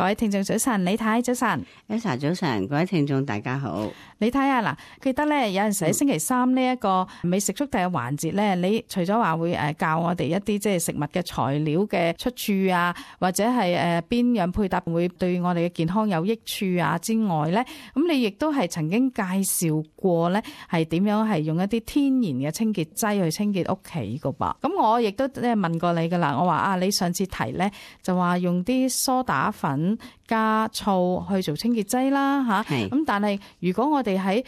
各位聽眾早晨，李太早晨。Elsa 早晨，各位聽眾大家好。李太啊，嗱，記得咧有陣時喺星期三呢一個美食速遞嘅環節咧，你除咗話會教我哋一啲即係食物嘅材料嘅出處啊，或者係邊樣配搭會對我哋嘅健康有益處啊之外咧，咁你亦都係曾經介紹過咧係點樣係用一啲天然嘅清潔劑去清潔屋企噶噃。咁我亦都即係問過你噶啦，我話啊，你上次提咧就話用啲梳打粉加醋去做清潔劑啦吓，咁但係如果我哋喺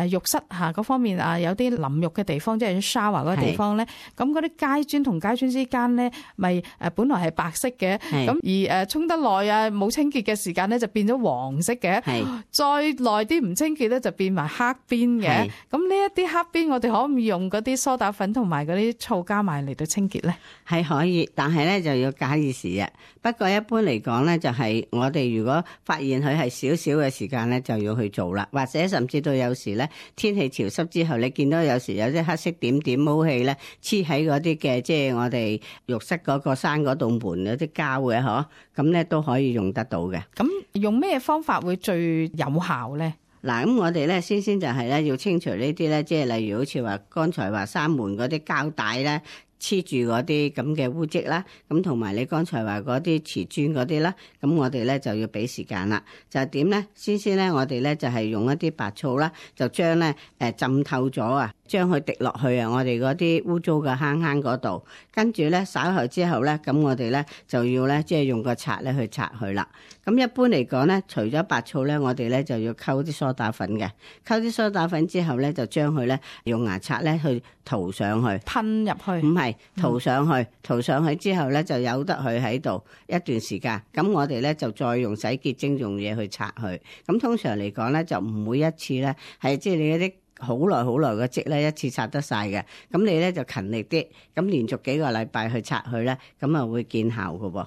浴室下嗰方面啊，有啲淋浴嘅地方，即係 shower 嗰個地方咧，咁嗰啲階磚同階磚之間咧，咪本來係白色嘅，咁而沖得耐啊冇清潔嘅時間咧，就變咗黃色嘅，再耐啲唔清潔咧，就變埋黑邊嘅。咁呢一啲黑邊，我哋可唔可以用嗰啲梳打粉同埋嗰啲醋加埋嚟到清潔咧？係可以，但係咧就要假以時日。不過一般嚟講咧，就係我哋如果發現佢係少少嘅時間咧，就要去做啦，或者甚至到有時咧。天氣潮濕之後，你見到有時有啲黑色點點毛氣咧，黐喺嗰啲嘅，即係我哋浴室嗰個閂嗰道門有啲膠嘅，嗬，咁咧都可以用得到嘅。咁用咩方法會最有效咧？嗱，咁我哋咧先就係咧要清除呢啲咧，即係例如好似話剛才話閂門嗰啲膠帶咧。黐住嗰啲咁嘅污漬啦，咁同埋你剛才話嗰啲瓷磚嗰啲啦，咁我哋咧就要俾時間啦。就係點咧？先咧，我哋咧就係用一啲白醋啦，就將咧浸透咗啊，將佢滴落去啊，我哋嗰啲污糟嘅坑嗰度。跟住咧稍後之後咧，咁我哋咧就要咧即係用個刷咧去刷佢啦。咁一般嚟講咧，除咗白醋咧，我哋咧就要溝啲梳打粉嘅，溝啲梳打粉之後咧，就將佢咧用牙刷咧去塗上去，噴入去，唔係塗上去，塗上去之後咧就由得佢喺度一段時間。咁我哋咧就再用洗潔精用嘢去刷佢。咁通常嚟講咧就唔會一次咧係即係你嗰啲好耐嘅漬咧一次刷得晒嘅。咁你咧就勤力啲，咁連續幾個禮拜去刷佢咧，咁啊會見效㗎喎。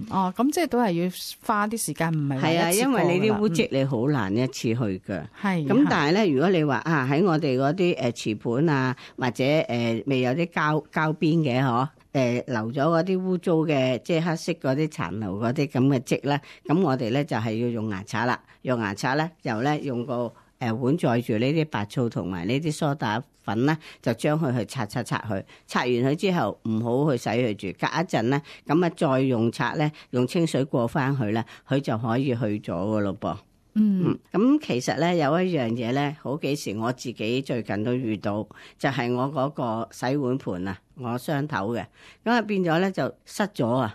哦，咁即係都係要花啲時間，唔係係啊，因為你啲污漬你好難一次去㗎。係咁，但係咧，如果你話啊喺我哋嗰啲瓷盤啊，或者未有啲膠邊嘅嗬。留咗嗰啲污糟嘅，即係黑色嗰啲殘留嗰啲咁嘅漬咧，咁我哋咧就係要用牙刷啦。用牙刷咧，又咧用個碗載住呢啲白醋同埋呢啲梳打粉咧，就將佢去刷佢。刷完佢之後，唔好去洗佢住，隔一陣咧，咁啊再用刷咧，用清水過翻去咧，佢就可以去咗噶咯噃。咁其實咧有一樣嘢咧，好幾時我自己最近都遇到，就係我嗰個洗碗盤啊，我雙頭嘅，咁啊變咗咧就塞咗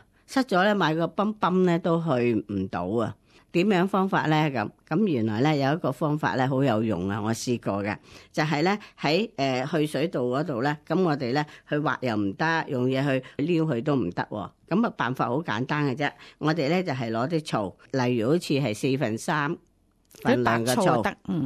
咧，買個泵咧都去唔到啊。點樣方法咧？咁原來咧有一個方法咧好有用啊！我試過嘅，就係咧喺去水道嗰度咧，咁我哋咧去挖又唔得，用嘢去撩佢都唔得。咁啊辦法好簡單嘅啫，我哋咧就係攞啲醋，例如好似係4/3份量嘅醋，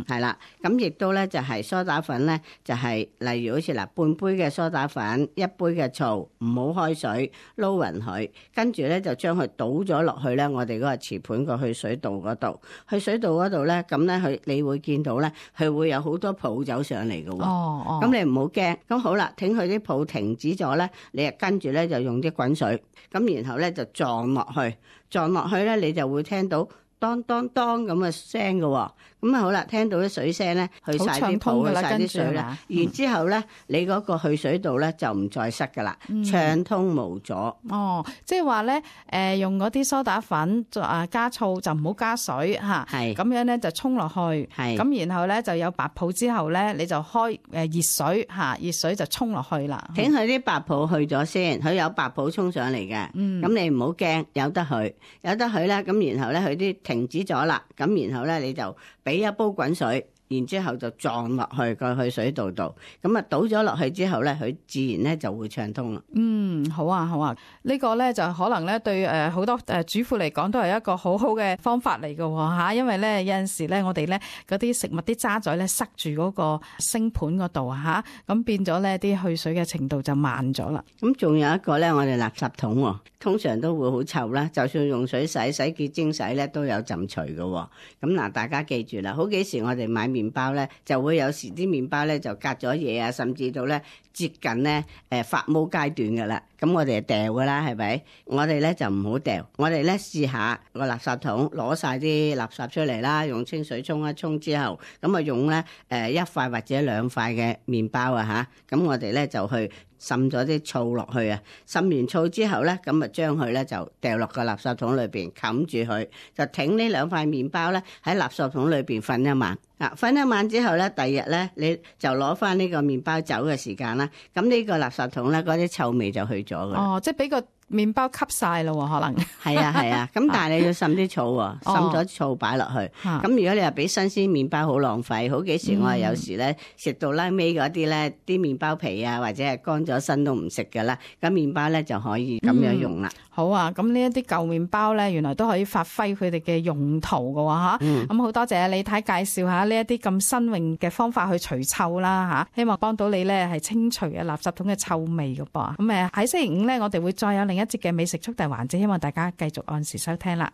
係啦，咁亦都咧就係梳打粉咧，就係例如好似嗱半杯嘅梳打粉，一杯嘅醋，唔好開水撈勻佢，跟住咧就將佢倒咗落去咧，我哋嗰個瓷盤個去水道嗰度，去水道嗰度咧，咁咧佢你會見到咧，佢會有好多泡走上嚟嘅喎。咁你唔好驚，咁好啦，等佢啲泡停止咗咧，你跟住咧就用啲滾水，咁然後咧就撞落去咧，你就會聽到當當當咁嘅聲嘅，咁啊好啦，聽到啲水聲咧，去晒啲泡，去晒啲水啦，然之後咧，你嗰個去水道咧就唔再塞噶啦，暢通無阻。即係話咧，用嗰啲梳打粉加醋就唔好加水吓，係咁樣咧就沖落去，係咁然後咧就有白泡之後咧，你就開熱水吓，熱水就沖落去啦。等佢啲白泡去咗先，佢有白泡沖上嚟嘅，咁你唔好驚，由得佢咧，咁然後咧佢啲停止咗啦，咁然後咧你就俾一煲滾水，然之後就撞落去個去水道度，咁啊倒咗落去之後咧，佢自然咧就會暢通啦。好啊，呢個咧就可能咧對好多主婦嚟講都係一個好好嘅方法嚟嘅吓，因為咧有陣時咧我哋咧嗰啲食物啲渣滓咧塞住嗰個星盤嗰度吓，咁變咗咧啲去水嘅程度就慢咗啦。咁仲有一個咧，我哋垃圾桶通常都會好臭啦，就算用水洗潔精洗咧都有浸除嘅。咁嗱，大家記住啦，好幾時我哋買麵麵包咧，就會有時啲麵包咧就隔咗嘢啊，甚至到咧接近咧發毛階段㗎啦。咁我哋就掉㗎啦，係咪？我哋咧就唔好掉，我哋咧試下個垃圾桶攞晒啲垃圾出嚟啦，用清水沖一沖之後，咁啊用咧一塊或者兩塊嘅麵包啊嚇，咁我哋咧就去滲咗啲醋落去啊，滲完醋之後咧，咁啊將佢咧就掉落個垃圾桶裏邊冚住佢，就挺呢兩塊麵包咧喺垃圾桶裏邊瞓一晚。瞓一晚之後咧，第二日咧你就攞翻呢個麵包走嘅時間啦，咁呢個垃圾桶咧嗰啲臭味就去咗㗎啦。哦，即係俾個麵包吸晒咯，可能係啊，咁但係你要滲啲醋喎，滲咗醋擺落去。咁如果你話俾新鮮麵包好浪費，好幾時我係有時咧食到拉尾嗰啲咧，啲麵包皮啊或者係乾咗身都唔食㗎啦，咁麵包咧就可以咁樣用啦。好啊，咁呢一啲舊麵包咧，原來都可以發揮佢哋嘅用途㗎喎嚇。咁好多謝李太介紹下呢一啲咁新穎嘅方法去除臭啦嚇，希望幫到你咧係清除嘅垃圾桶嘅臭味㗎噃。咁喺星期五咧，我哋會再有另一節嘅美食速遞環節，希望大家繼續按時收聽啦。